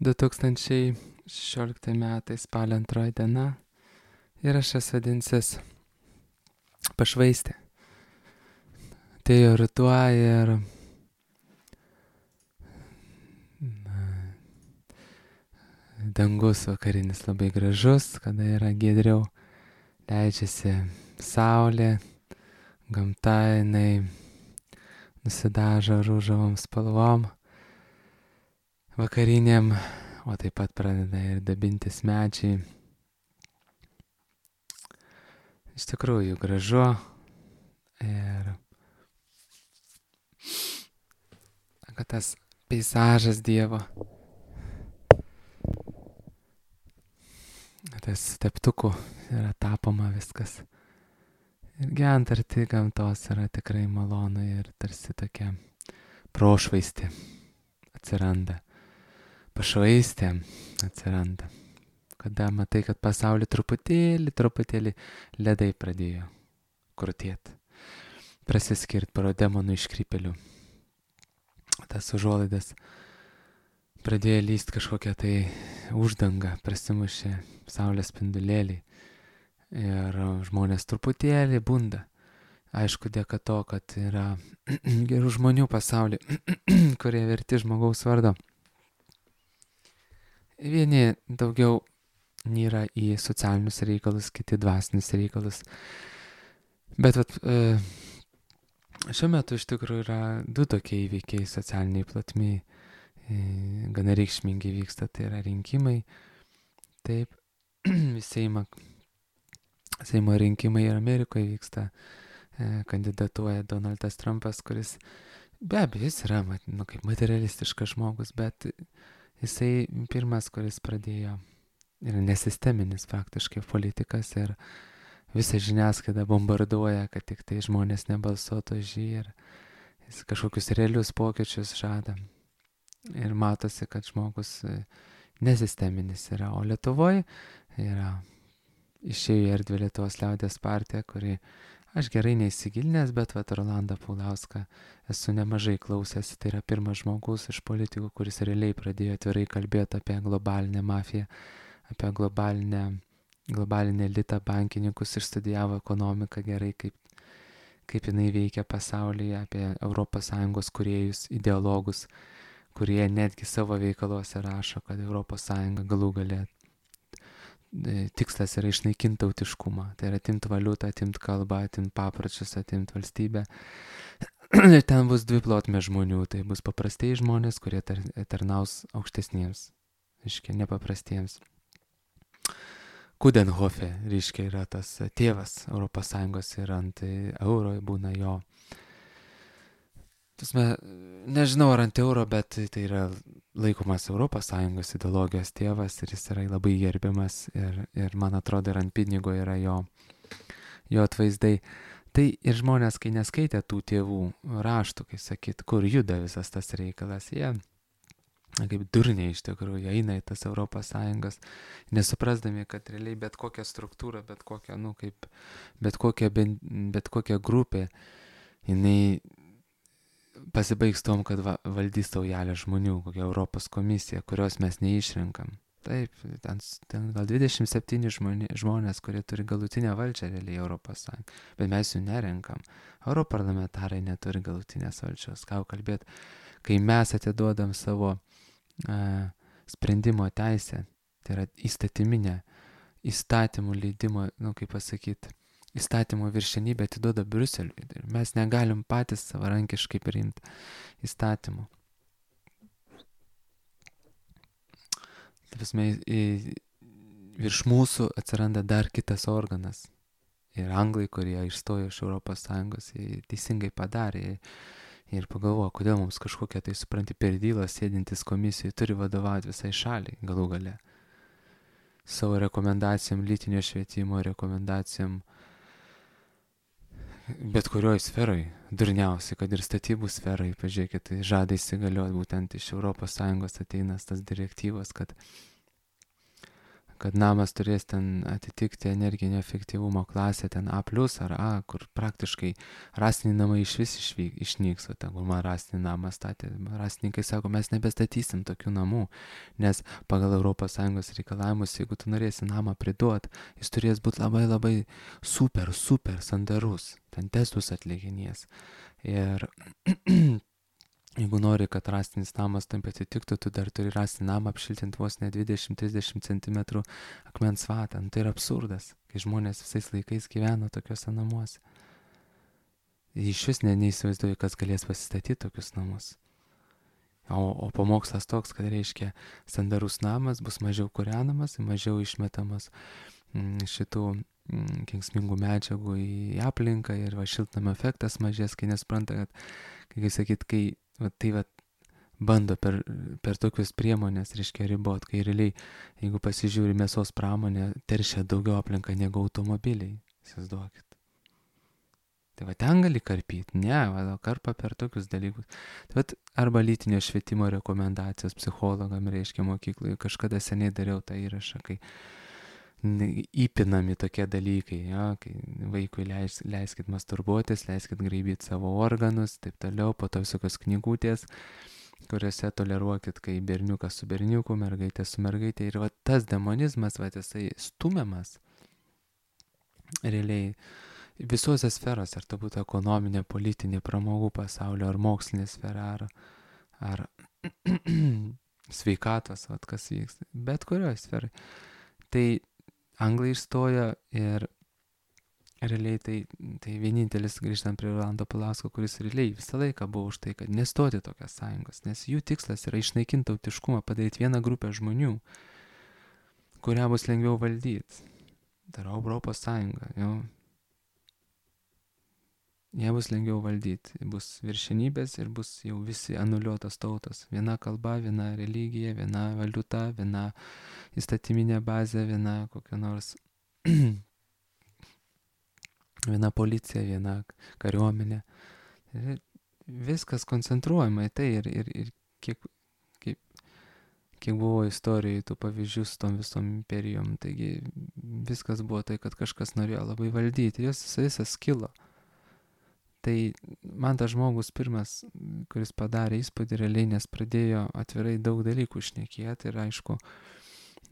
2016 metai spalio 2 diena įrašas vadinsis Pašvaistė. Atėjo ruduo ir dangus vakarinis labai gražus, kada yra giedriau, leidžiasi saulė, gamta jinai nusidažo rūžavom spalvom vakariniam, o taip pat pradeda ir dabintis medžiai. Iš tikrųjų gražu ir kad tas peizažas Dievo, tas teptukų yra tapoma viskas. Ir gyvent arti gamtos yra tikrai malonu ir tarsi tokia prošvaistė atsiranda. Pašvaistė atsiranda. Kada matai, kad pasaulį truputėlį ledai pradėjo krutėti. Prasiskirt paro demonų iškrypelių. Tas užuolaidas pradėjo lyst kažkokią tai uždangą, prasimušė saulės spindulėliai. Ir žmonės truputėlį bunda. Aišku, dėka to, kad yra gerų žmonių pasaulyje, kurie verti žmogaus vardo. Vieni daugiau nyra į socialinius reikalus, kiti dvasinius reikalus. Bet šiuo metu iš tikrųjų yra du tokie įvykiai socialiniai platmiai, gana reikšmingi vyksta, tai yra rinkimai. Taip, Seimo rinkimai ir Amerikoje vyksta, kandidatuoja Donaldas Trumpas, kuris be abejo jis yra kaip materialistiškas žmogus, bet jisai pirmas, kuris pradėjo, yra nesisteminis faktiškai politikas ir visą žiniasklaidą bombarduoja, kad tik tai žmonės nebalsuotų už jį ir jis kažkokius realius pokyčius žada. Ir matosi, kad žmogus nesisteminis yra, o Lietuvoje yra išėjo į erdvę Lietuvos liaudės partija, kuri aš gerai neįsigilinęs, bet Rolandą Paulauską esu nemažai klausęs. Tai yra pirmas žmogus iš politikų, kuris realiai pradėjo atvirai kalbėti apie globalinę mafiją, apie globalinę elitą, bankininkus, išstudijavo ekonomiką gerai, kaip jinai veikia pasaulyje, apie ES kūrėjus, ideologus, kurie netgi savo veikaluose rašo, kad ES galų gale tikslas yra išnaikinti tautiškumą. Tai yra atimti valiutą, atimti kalbą, atimti papročius, atimti valstybę. Ir ten bus dvi plotmės žmonių. Tai bus paprastieji žmonės, kurie tarnaus aukštesniems, reiškia nepaprastiems. Kudenhofe, reiškia, yra tas tėvas ES ir ant euro būna jo. Nežinau ar ant euro, bet tai yra laikomas ES ideologijos tėvas ir jis yra labai gerbiamas ir man atrodo ir ant pinigo yra jo atvaizdai. Tai ir žmonės, kai neskaitė tų tėvų raštų, kai sakyt, kur juda visas tas reikalas, jie kaip durniai iš tikrųjų eina į tas ES, nesuprasdami, kad realiai bet kokia struktūra, bet kokia grupė, jinai pasibaigs tom, kad valdys saujelė žmonių, kokia Europos komisija, kurios mes neišrenkam. Taip, ten gal 27 žmonės, kurie turi galutinę valdžią realiai ES, bet mes jų nerenkam. Europarlamentarai neturi galutinės valdžios. Ką kalbėt, kai mes atiduodam savo sprendimo teisę, tai yra įstatyminę, įstatymų leidimo, kaip pasakyti, įstatymų viršenybę atiduoda Briuseliui. Mes negalim patys savarankiškai priimti įstatymų. Virš mūsų atsiranda dar kitas organas. Ir anglai, kurie išstojo iš ES, teisingai padarė ir pagalvojo, kodėl mums kažkokia tai, supranti, perdylą sėdintis komisijai turi vadovauti visai šaliai galų gale. Savo rekomendacijom lytinio švietimo, rekomendacijom bet kurioj sferai, durniausiai, kad ir statybų sferai, pažiūrėkit, tai žada įsigalioti būtent iš ES ateina tas direktyvos, kad namas turės ten atitikti energinio efektyvumo klasę, ten A+, ar A, kur praktiškai rąstiniai namai išvis išnyks, o ten, kur man rąstinį namą statė, rąstininkai sako, mes nebestatysim tokių namų, nes pagal ES reikalavimus, jeigu tu norėsi namą priduot, jis turės būti labai labai super sandarus, ten testus atlikinės. Ir jeigu nori, kad rąstinis namas tam atitiktų, tu dar turi rąstinį namą apšiltinti vos ne 20-30 cm akmens vatą. Tai yra absurdas, kai žmonės visais laikais gyvena tokiuose namuose. Iš vis neįsivaizduoju, kas galės pasistatyti tokius namus. O pamokslas toks, kad reiškia, sandarus namas bus mažiau kūrenamas, mažiau išmetamas šitų kenksmingų medžiagų į aplinką ir šiltnamio efektas mažės, kai nespranta, kad, kaip sakyt, tai bando per tokius priemonės, reiškia, ribot, kai realiai, jeigu pasižiūri mėsos pramonė, teršia daugiau aplinką negu automobiliai, įsivaizduokit. Tai ten gali karpyti, karpa per tokius dalykus. Tai arba lytinio švietimo rekomendacijos psichologam, reiškia, mokykloje, kažkada seniai dariau tą įrašą, kai įpinami tokie dalykai, kai vaikui leiskit masturbuotis, leiskit graibyti savo organus, taip toliau, po to visokios knygutės, kuriuose toleruokit, kai berniukas su berniuku, mergaitė su mergaitė. Ir tas demonizmas, jisai stumiamas realiai visose sferose, ar tai būtų ekonominė, politinė, pramogų pasaulio, ar mokslinė sfera, ar sveikatos, kas vyksta, bet kurioje sferai. Tai anglai išstojo ir realiai tai vienintelis, grįžtant prie Rolando Palausko, kuris realiai visą laiką buvo už tai, kad nestoti tokias sąjungos, nes jų tikslas yra išnaikinti tautiškumą, padaryti vieną grupę žmonių, kurią bus lengviau valdyti. Tai yra Europos Sąjunga, Jie bus lengviau valdyti, bus viršenybės ir bus jau visi anuliuotos tautos. Viena kalba, viena religija, viena valiuta, viena įstatyminė bazė, viena kokia nors viena policija, viena kariuomenė. Viskas koncentruojama į tai ir kiek buvo istorijoje tų pavyzdžių su tom visom imperijom. Taigi viskas buvo tai, kad kažkas norėjo labai valdyti, jos visas kilo. Tai man tas žmogus pirmas, kuris padarė įspūdį realiai, nes pradėjo atvirai daug dalykų šnekėti ir aišku,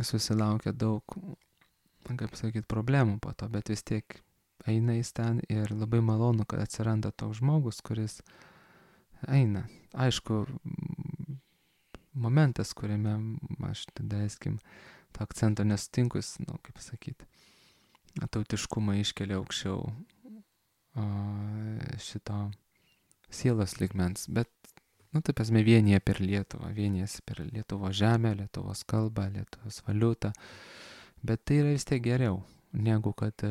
susilaukė daug, kaip sakyti, problemų po to, bet vis tiek eina jis ten ir labai malonu, kad atsiranda toks žmogus, kuris eina. Aišku, momentas, kuriame aš tada, to akcento nesutinkus, kaip sakyti, tautiškumą iškelia aukščiau šito sielos lygmens, bet, taip esame vienyje per Lietuvą, vienyjasi per Lietuvos žemę, Lietuvos kalbą, Lietuvos valiutą, bet tai yra vis tiek geriau, negu kad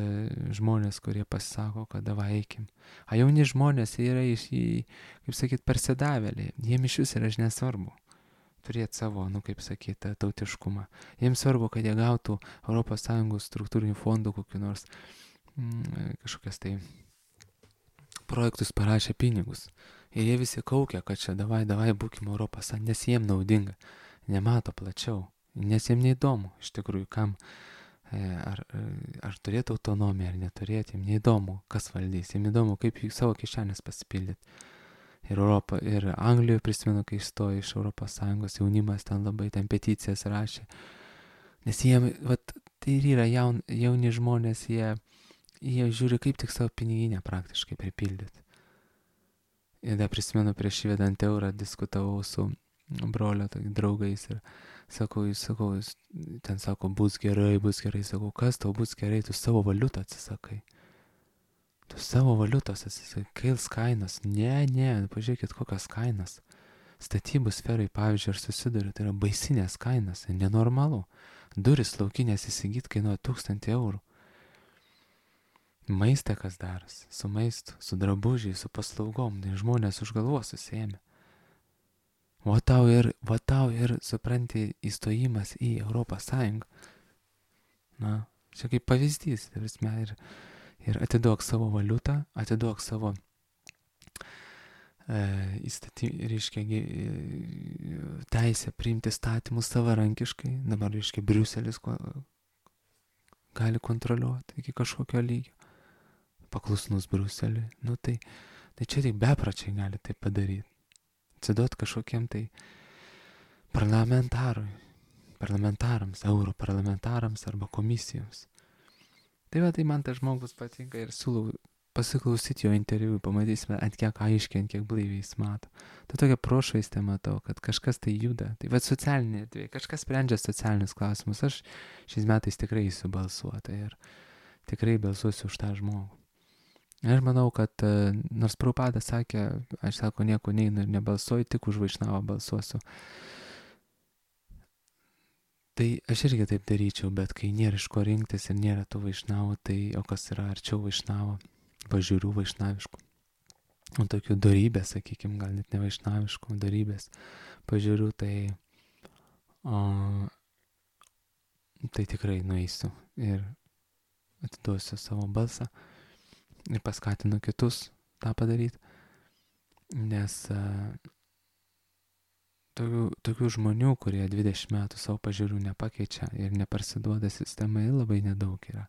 žmonės, kurie pasisako, kad davai eikim. A jauni žmonės yra kaip sakyt, persidavėliai, jiems iš vis yra nesvarbu turėti savo, kaip sakyt, tautiškumą. Jiems svarbu, kad jie gautų ES struktūrinių fondų kokių nors kažkokias tai projektus parašė pinigus. Ir jie visi kaukia, kad čia davai būkim Europos, nes jiem naudinga. Nemato plačiau, nes jiem neįdomu, iš tikrųjų, kam, ar turėtų autonomiją, ar neturėti, jiem neįdomu, kas valdys, jiem įdomu, kaip savo kišenės pasipildyti. Ir Anglijoje prisimenu, kai įstojo iš ES, jaunimas ten labai, ten peticijas rašė. Nes jiem, tai ir yra jauni žmonės, jie žiūri, kaip tik savo piniginę praktiškai pripildyti. Ir dar prisimenu, prieš įvedant eurą diskutavau su brolio draugais ir sakau, ten sako, bus gerai, sakau, kas tau bus gerai, tu savo valiutą atsisakai. Tu savo valiutos atsisakai, kails kainos. Ne, pažiūrėkit, kokios kainos. Statybų sferai, pavyzdžiui, aš susiduriu, tai yra baisinės kainos, nenormalu. Duris laukinės įsigyti kainuoja 1000 eurų. Maistą kas darosi, su maistu, su drabužiai, su paslaugom, tai žmonės už galvos susiėmė. Va tau ir, supranti, įstojimas į Europos Sąjungą. Čia kaip pavyzdys, ir atiduok savo valiutą, atiduok savo reiškia, teisę priimti statymus savarankiškai. Dabar, reiškia, Briuselis gali kontroliuoti iki kažkokio lygio. Paklusnus Bruseliui. Nu tai čia tik bepročiai gali tai padaryti. Atsiduot kažkokiem tai parlamentarams, europarlamentarams arba komisijoms. Tai va, tai man tas žmogus patinka ir siūlau pasiklausyti jo interviu, pamatysime, ant kiek aiškiai, ant kiek blaiviai jis mato. Tai tokia prošvaistė matau, kad kažkas tai juda. Tai va, socialinė erdvė, kažkas sprendžia socialinius klausimus. Aš šiais metais tikrai eisiu balsuoti ir tikrai balsuosiu už tą žmogų. Aš manau, kad nors Prabhupada sakė, aš sako, nieko neinu ir nebalsuoju, tik už Vaišnavą balsuosiu. Tai aš irgi taip daryčiau, bet kai nėra iš ko rinktis ir nėra tų Vaišnavų, tai o kas yra arčiau Vaišnavo, pažiūrių vaišnaviškų. O tokių darybės, sakykime, gal net ne vaišnaviškų, darybės, pažiūrių, tai tikrai nueisiu ir atiduosiu savo balsą ir paskatinu kitus tą padaryti, nes tokių žmonių, kurie 20 metų savo pažiūrų nepakeičia ir neparsiduoda sistemai, labai nedaug yra.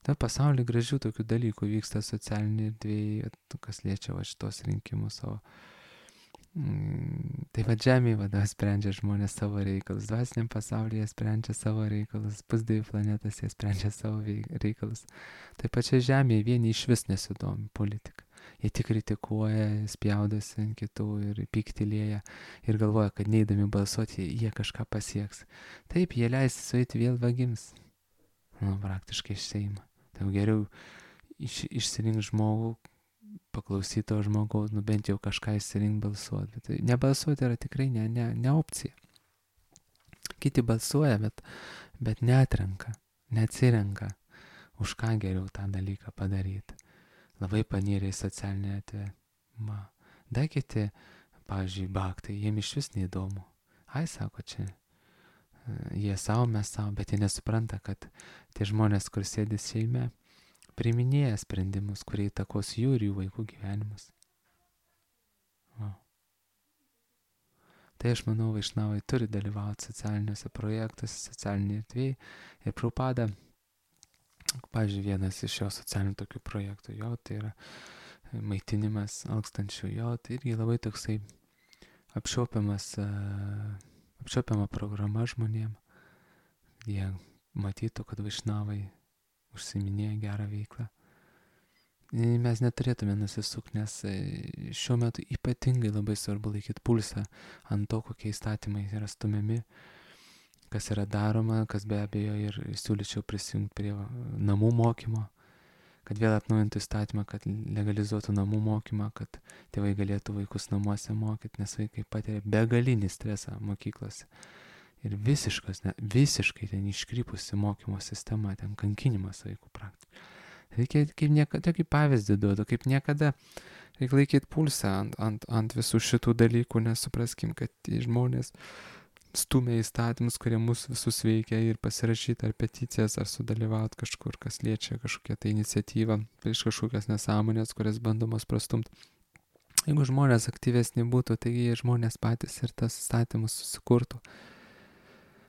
Ta pasaulyje gražių tokių dalykų vyksta socialinėje erdvėje, kas liečia va šitos rinkimus savo. Tai va žemėje sprendžia žmonės savo reikalus, dvasiniam pasaulyje sprendžia savo reikalus, pusdievių planetas jie sprendžia savo reikalus. Tai pačia žemėje vieni iš vis nesidomi politika. Jie tik kritikuoja, spjaudosi ant kitų ir pyktilėja ir galvoja, kad neįdami balsuoti, jie kažką pasieks. Taip, jie leisi sueiti vėl vagims. Praktiškai iš Seimo. Tai geriau išsirink žmogų, paklausyti to žmogaus, bent jau kažką išsirink balsuoti. Bet tai nebalsuoti yra tikrai ne opcija. Kiti balsuoja, bet neatrenka, neatsirenka, už ką geriau tą dalyką padaryti. Labai panyrė į socialinę erdvę. Dar kiti, pavyzdžiui, baktai, jiem iš vis neįdomu. Ai, sako, čia jie savo, mes savo, bet jie nesupranta, kad tie žmonės, kur sėdi Seime, priiminėja sprendimus, kurie įtakos jų ir jų vaikų gyvenimus. Tai aš manau, Vaišnavai turi dalyvauti socialiniuose projektuose, socialinėje erdvėje. Ir Prabhupada, pavyzdžiui, vienas iš jo socialinių tokių projektų, jo, tai yra maitinimas alkstančių, jo, tai irgi labai toksai apčiuopiama programa žmonėm. Jie matytų, kad Vaišnavai užsiiminėja gerą veiklą. Mes neturėtume nusisukti, nes šiuo metu ypatingai labai svarbu laikyti pulsą ant to, kokie įstatymai yra stumiami, kas yra daroma, kas be abejo ir siūlyčiau prisijungti prie namų mokymo, kad vėl atnaujintų įstatymą, kad legalizuotų namų mokymą, kad tėvai galėtų vaikus namuose mokyti, nes vaikai patiria begalinį stresą mokyklose. Ir visiškai ten iškrypusi mokymo sistema, ten kankinimas vaikų praktiškai. Reikia kaip niekada, kaip pavyzdį duodu, kaip niekada reikia laikyti pulsą ant visų šitų dalykų, nes supraskim, kad žmonės stumia įstatymus, kurie mūsų visus veikia ir pasirašyti ar peticijas, ar sudalyvauti kažkur, kas liečia kažkokią tai iniciatyvą prieš kažkokias nesąmonės, kurias bandomos prastumti. Jeigu žmonės aktyvesni būtų, taigi žmonės patys ir tas įstatymus susikurtų.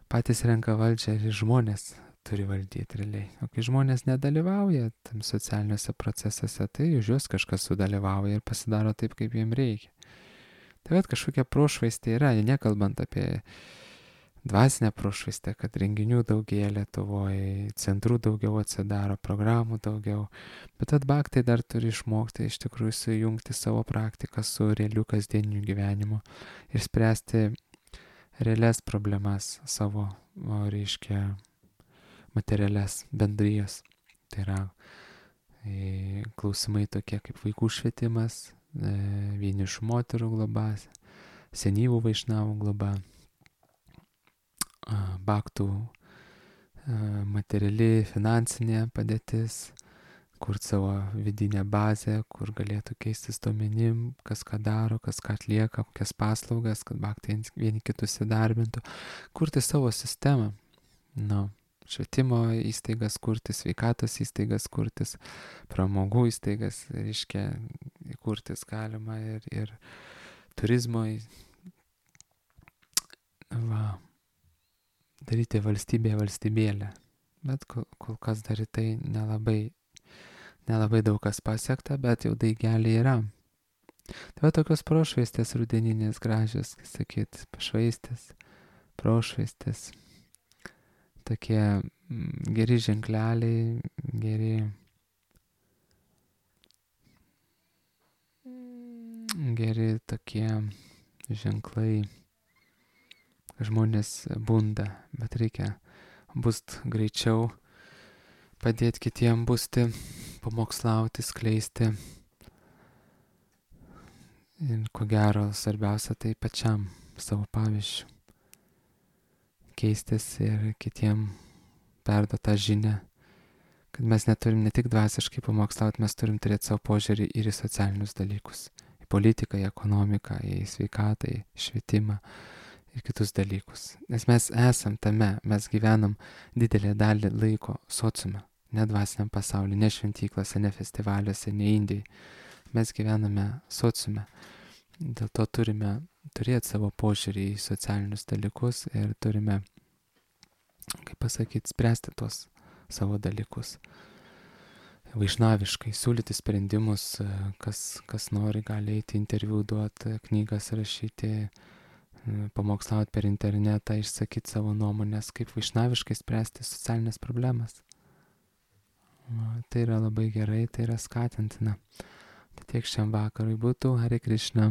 Patys renka valdžią ir žmonės turi valdyti realiai. O kai žmonės nedalyvauja tam socialiniuose procesuose, tai už juos kažkas sudalyvauja ir pasidaro taip, kaip jiem reikia. Tai bet kažkokia prošvaistė yra, nekalbant apie dvasinę prošvaistę, kad renginių daugėja Lietuvoje, centrų daugiau atsidaro, programų daugiau. Bet atbaktai dar turi išmokti iš tikrųjų sujungti savo praktiką su realiu kasdieniu gyvenimu ir spręsti realias problemas savo, reiškia, materialias bendrijas. Tai yra klausimai tokie kaip vaikų švietimas, vienišų moterų globa, senyvų Vaišnavų globa, baktų materiali finansinė padėtis, kurti savo vidinę bazę, kur galėtų keistis duomenim, kas ką daro, kas ką atlieka, kokias paslaugas, kad baktai vieni kitus įdarbintų, kurti savo sistemą. Švietimo įstaigas kurtis, sveikatos įstaigas kurtis, pramogų įstaigas, reiškia, kurtis galima ir turizmo, daryti valstybėlę, bet kol kas dar į tai nelabai daug kas pasiekta, bet jau daigeliai yra. Tai va tokios prošvaistės rudeninės gražios, kaip sakyt, pašvaistės, prošvaistės, tokie geri ženkleliai, geri tokie ženklai, žmonės bunda, bet reikia bust greičiau, padėti kitiem busti, pamokslauti, skleisti. Ir ko gero, svarbiausia tai pačiam savo pavyzdžių. Keistis ir kitiem perduoti tą žinią, kad mes neturim ne tik dvasiškai pamokslauti, mes turim turėti savo požiūrį ir į socialinius dalykus. Į politiką, į ekonomiką, į sveikatą, į švietimą ir kitus dalykus. Nes mes esam tame, mes gyvenam didelę dalį laiko sociume, ne dvasiniam pasauliu, ne šventyklose, ne festivaliuose, ne Indijai. Mes gyvename sociume. Dėl to turime turėti savo požiūrį į socialinius dalykus ir turime, kaip pasakyti, spręsti tuos savo dalykus. Vaišnaviškai siūlyti sprendimus, kas nori, gali eiti interviu duoti, knygas rašyti, pamokslauti per internetą, išsakyti savo nuomonės, kaip vaišnaviškai spręsti socialinės problemas. Tai yra labai gerai, tai yra skatintina. Tai tiek šiam vakarui būtų. Hare Krishna.